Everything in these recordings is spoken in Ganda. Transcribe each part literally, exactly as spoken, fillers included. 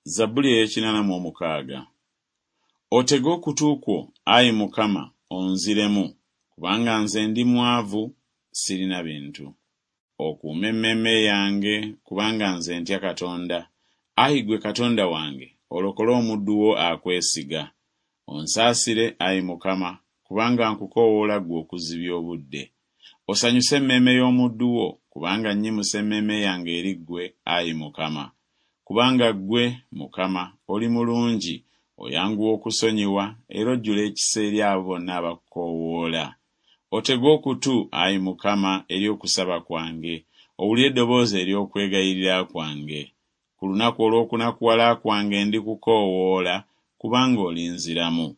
Zabbuli ey'ekinana mu omukaaga. Otege okutu kwo, ayi Mukama, onziremu, kubanga nze ndi mwavu, sirina bintu. Okuume emmeeme yange, kubanga nze ntya Katonda. Ayi ggwe Katonda wange, olokole omuddu wo akwesiga. Onsaasire, ayi Mukama, kubanga nkukoowoola ggwe okuzibya obudde. Osanyuse emmeeme y'omuddu wo, kubanga nnyimusa emmeeme yange eri ggwe, ayi Mukama. Kubanga ggwe, Mukama, oli mulungi, oyanguwa okusonyiwa, era ojjula ekisa eri abo bonna abakukoowoola. Otege okutu, ayi Mukama, eri okusaba kwange, owulire eddoboozi ery'okwegayirira kwange. Ku lunaku olw'okunakuwala kwange ndikukoowoola, kubanga olinziramu.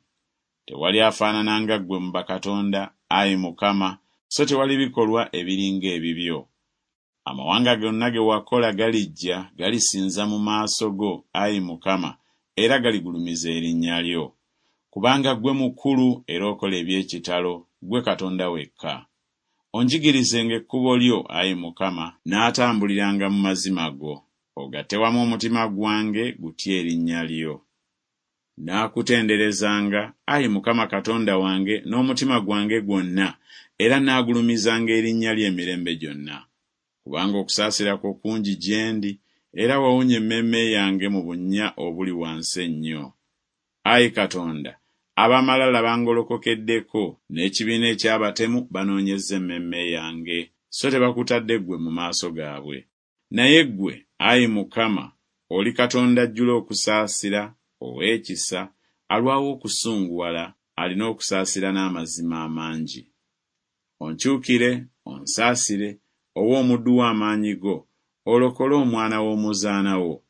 Tewali afaanana nga ggwe mu bakatonda, ayi Mukama, so tewali bikolwa ebiri ng'ebibyo. Amawanga gonna ge wakola galijja, galisinza mu maaso go, ayi Mukama, era galigulumiza erinnya lyo. Kubanga ggwe mukulu era okola eby'ekitalo, ggwe Katonda wekka. Onjigirizenga ekkubo lyo, ayi Mukama, nnaatambuliranga mu mazima go. Ogatte wamu omutima gwange gutye erinnya lyo. Nnaakutenderezanga, ayi Mukama Katonda wange, n'omutima gwange gwonna, era nnaagulumizanga erinnya lyo emirembe gyonna. Kubanga okusaasira kwo kungi gye ndi, era wawonya emmeeme yange mu bunnya obuli wansi ennyo. Ayi Katonda, ab'amalala bangolokokeddeko, n'ekibiina eky'abatemu banoonyezza emmeeme yange, so tebakutadde ggwe mu maaso gaabwe. Naye ggwe, ayi Mukama, oli Katonda ajjula okusaasira, ow'ekisa, alwawo okusunguwala, alina okusaasira n'amazima amangi. Onkyukire, onsaasire, owe omuddu wo amaanyi go, olokole omwana w'omuzaana wo.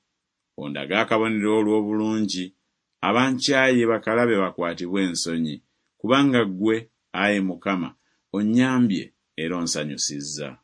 Ondage akabonero olw'obulungi, abankyaye bakalabe bakwatibwe ensonyi, kubanga ggwe, ayi Mukama, onnyambye era onsanyusizza.